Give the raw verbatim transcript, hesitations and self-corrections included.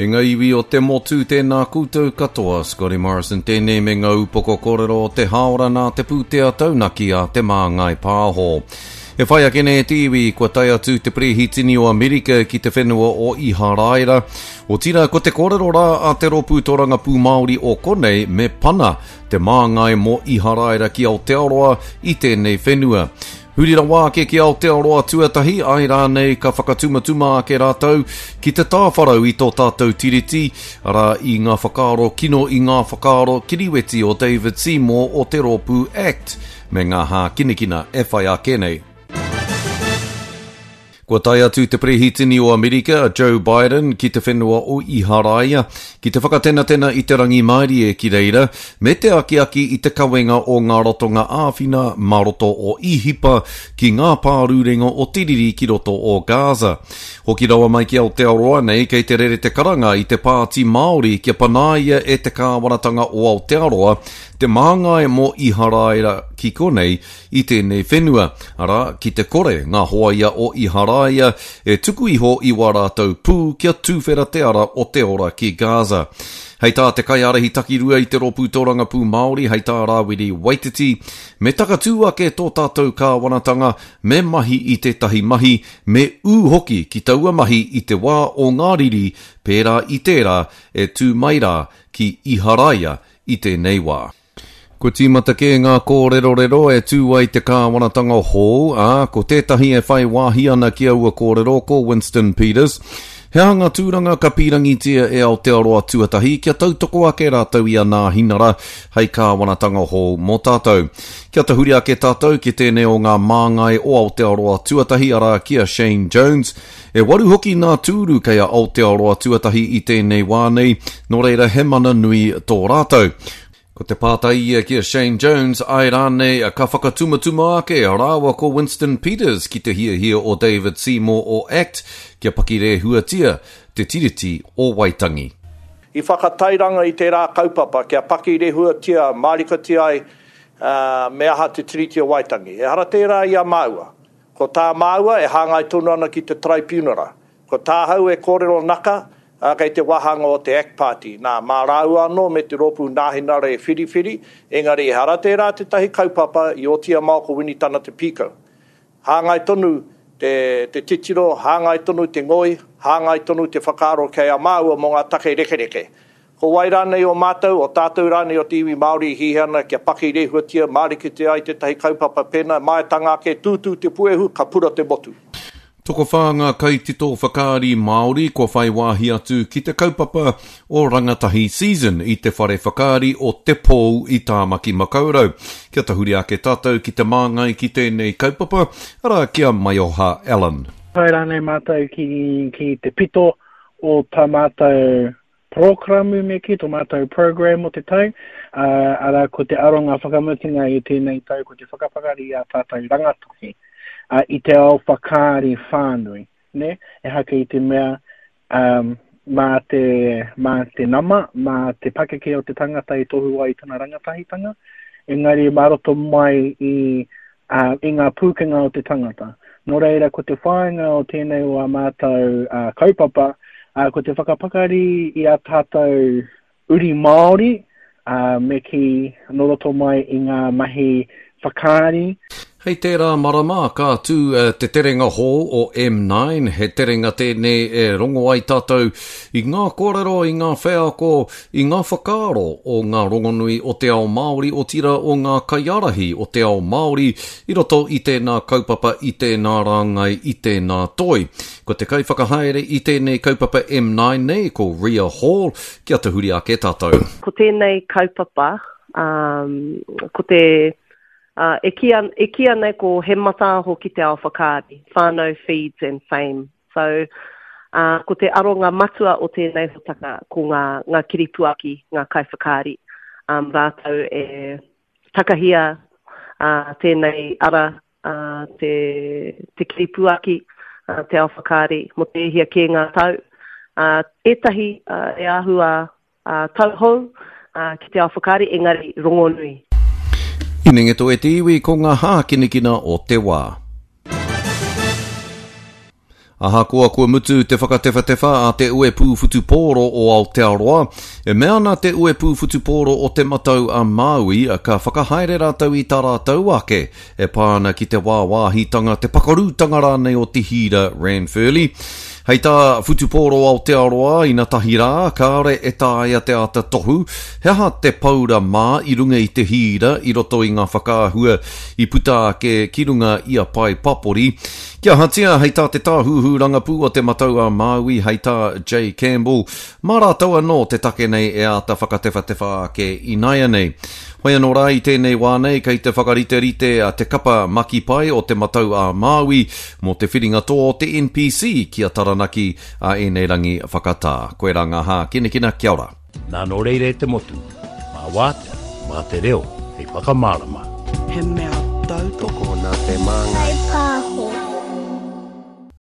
E ngā iwi o te motu, tēnā koutou katoa, Scotty Morrison tēnei me ngā upoko kōrero o te hāora nā te pūtea taunaki a Te Māngai Pāho. E whai ake nei e te iwi, kua tae atu te Perehitini o Amerika ki te whenua o Iharaira. Otirā, ko te kōrero rā a te Rōpū Tōrangapū Māori o konei me pana te māngai mō Iharaira ki Aotearoa i tēnei whenua. Huri rawa ake ki Aotearoa tuatahi, ai rānei ka whakatumatuma ake rātou ki te tāwharau i tō tātou tiriti, arā i ngā whakaaro kino i ngā whakaaro kiriweti o David Seymour o te rōpū ACT, me ngā hākinakina e whai ake nei. Kua tae atu te Perehitini o Amerika, a Joe Biden, ki te whenua o Iharaia, ki te whakatenatena i te rangimārie ki reira, me te akiaki i te kawenga o ngā ratonga āwhina mā roto o Īhipa ki ngā pārurenga o te riri ki roto o Gaza. Hoki rawa mai ki Aotearoa nei, kei te rere te karanga i te Pāti Māori kia panaia e te kāwanatanga o Aotearoa te māngai mō Iharaira ki konei i tēnei whenua, arā, ki te kore ngā hoaia o Iharaia e tuku iho i wā rātou pū kia tūwhera te ara o te ora ki Gaza. Hei tā te kaiārahi takirua i te Rōpū Tōrangapū Māori, hei tā Rāwiri Waititi, me takatū ake tō tātou kāwanatanga, me mahi i tētahi mahi, me ū hoki ki taua mahi i te wā o ngā riri pērā i tērā e tū mai rā ki Iharaia i tēnei wā. Kua tīmata kē ngā kōrerorero e tū ai te kāwanatanga hou, ā, ko tētahi e whai wāhi ana ki aua kōrero ko Winston Peters. He aha ngā tūranga ka pīrangitia e Aotearoa tuatahi kia tautoko ake rātou i a Nāhinara hei kāwanatanga hou mō tātou. Kia tahuri ake tātou ki tēnei o ngā māngai o Aotearoa tuatahi, arā ki a Shane Jones. E waru hoki ngā tūru kei a Aotearoa tuatahi i tēnei wā nei, nō reira he mana nui tō rātou. Ko te pātai ia ki a Shane Jones, ai rānei ka whakatumatuma ake rāua ko Winston Peters ki te hiahia o David Seymour o ACT kia pakirehuatia te Tiriti o Waitangi. I whakatairanga i tērā kaupapa kia pakirehuatia mārikatia ai me aha te Tiriti o Waitangi. Ehara tērā i a māua. Ko tā māua e hāngai tonu ana ki te Taraipiunara. Ko tāhau e kōrero naka, ā, kei te wāhanga o te Act Party. Nā, mā rāua anō me te Rōpū Nāhinara e whiriwhiri, engari ehara tērā tētahi kaupapa i oti a Mao ko Winitana te pīkau. Hāngai tonu te, te titiro, hāngai tonu te ngoi, hāngai tonu te whakaaro kei a māua mō ngā take rekereke. Ko wai rānei o mātou, o tātou rānei o te iwi Māori i hiahia ana kia pakirehuatia, māriketia ai tētahi kaupapa pēnā, maetanga ake, tūtū te puehu, ka pura te motu. Tokowhā ngā kaitito whakaari Māori kua whai wāhi atu ki te kaupapa o Rangatahi Season i te whare whakaari o Te Pou i Tāmaki Makaurau. Kia tahuri ake tātou ki te māngai ki tēnei kaupapa, arā ki a Maioha Allen. Tae rānei mātou ki, ki te pito o tā mātou porokramu me kī, tō mātou program o te tau, ā, arā ko te aronga whakamutunga i tēnei tau ko te whakapakari i ā tātou rangatahi ā, i te ao whakaari whānui, nē? Ehake i te mea um, mā te, mā te nama, mā te pakeke o te tangata i tohu ai i tana rangatahitanga, engari mā roto mai i, uh, i ngā pūkenga o te tangata. Nō reira, ko te whāinga o tēnei o ā mātou uh, kaupapa, uh, ko te whakapakari i a tātou uri Māori, uh, me kī nō roto mai i ngā mahi whakaari. Hei tērā marama ka tū te terenga hou o M nine, he terenga tēnei e rongo ai tātou i ngā kōrero, i ngā wheako, i ngā whakaaro o ngā rongonui o te ao Māori, otirā o ngā kaiārahi o te ao Māori i roto i tēnā kaupapa, i tēnā rāngai, i tēnā toi. Ko te kaiwhakahaere i tēnei kaupapa M nine nei, ko Ria Hall, kia tahuri ake tātou. Ko tēnei kaupapa, um, ko te... Uh, e kīia, e kīia nei ko He Mataaho ki te Ao Whakaari, Whānau Feeds and Fame. So, uh, ko te aronga matua o tēnei hōtaka ko ngā, ngā kiripuaki, ngā kaiwhakaari. Um, rātou e takahia, uh, tēnei ara, uh, te, te kiripuaki, uh, te ao whakaari, mō te hia kē ngā tau. Uh, ētahi, uh, e āhua, uh, tauhou, uh, ki te ao whakaari, engari rongonui. Hinengeto e te iwi ko ngā hākinakina o te wā. Ahakoa kua mutu te whakatewhatewha a te Uepū Whutupōro o Aotearoa, e mea ana te Uepū Whutupōro o Te Matau a Māui ka whakahaere rātou i tā rātou ake e pā ana ki te wāwāhitanga, te pakarūtanga rānei o te hīra Ranfurly. Hei tā Whutupōro Aotearoa inatahi rā, kāore e taea te āta tohu he aha te paura mā i runga i te hīra i roto i ngā whakaahua i puta ake ki runga i a pae papori. Kia ahatia, hei tā te tāhuhu rangapū o Te Matau a Māui, hei tā Jay Campbell, mā rātou anō te take nei e āta whakatewhatewha ake ināianei. Hoi anō rā i tēnei wā nei kei te whakariterite a te kapa makipai o Te Matau a Māui mō te whiringa toa o te N P C ki a Taranaki a ēnei rangi whakatā. Koirā ngā hākinakina, kia ora. Nā nō reira e te motu, mā wātea, mā te reo, hei whakamārama. He mea tautoko nā te māngai. Whai pāho.